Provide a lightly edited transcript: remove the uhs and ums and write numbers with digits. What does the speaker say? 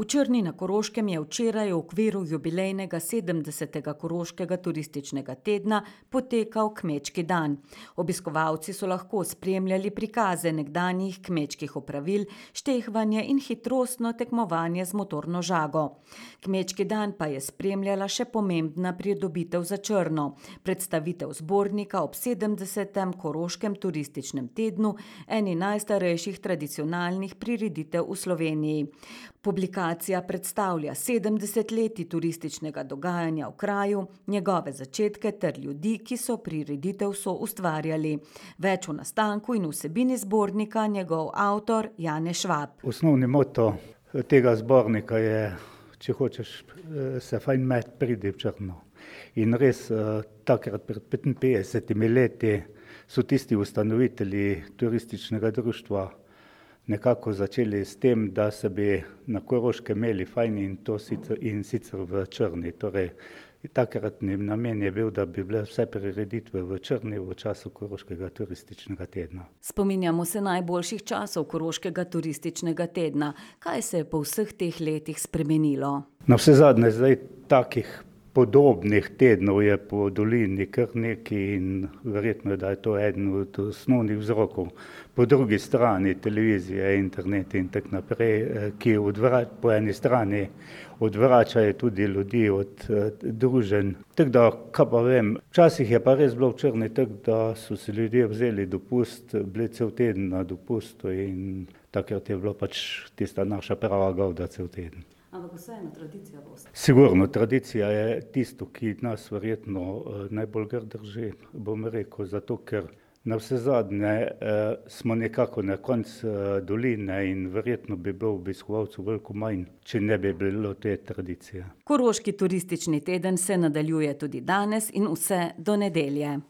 V Črni na Koroškem je včeraj v okviru jubilejnega 70. Koroškega turističnega tedna potekal Kmečki dan. Obiskovalci so lahko spremljali prikaze nekdanjih kmečkih opravil, štehvanje in hitrostno tekmovanje z motorno žago. Kmečki dan pa je spremljala še pomembna pridobitev za Črno, predstavitev zbornika ob 70. Koroškem turističnem tednu, eni najstarejših tradicionalnih prireditev v Sloveniji. Publikacija predstavlja 70 letij turističnega dogajanja v kraju, njegove začetke ter ljudi, ki so prireditev soustvarjali. Več o nastanku in vsebini zbornika njegov avtor Janez Švab. Osnovni moto tega zbornika je, če hočeš se fajn imeti, pridi v Črno. In res takrat pred 55 leti so tisti ustanovitelji turističnega društva nekako začeli s tem, da se bi na Koroškem imeli fajn in sicer v Črni. Torej, takratni namen je bil, da bi bile vse prireditve v Črni v času Koroškega turističnega tedna. Spominjamo se najboljših časov Koroškega turističnega tedna. Kaj se je po vseh teh letih spremenilo? Navsezadnje zdaj takih podobnih tednov je po dolini kar nekaj in verjetno, da je to eden od osnovnih vzrokov. Po drugi strani televizije, internet in tako naprej, ki po eni strani odvračajo tudi ljudi od druženj. Tako da, kaj pa vem, včasih je pa res bilo v Črni tako, da so si ljudje vzeli dopust, bili cel teden na dopustu in takrat je bilo pač tista naša prava gavda cel teden. Ampak vseeno tradicija boste. Sigurno, tradicija je tisto, ki nas verjetno najbolj grdo drži, bom rekel, zato ker navsezadnje smo nekako na koncu doline in verjetno bi bilo obiskovalcev veliko manj, če ne bi bilo te tradicije. Koroški turistični teden se nadaljuje tudi danes in vse do nedelje.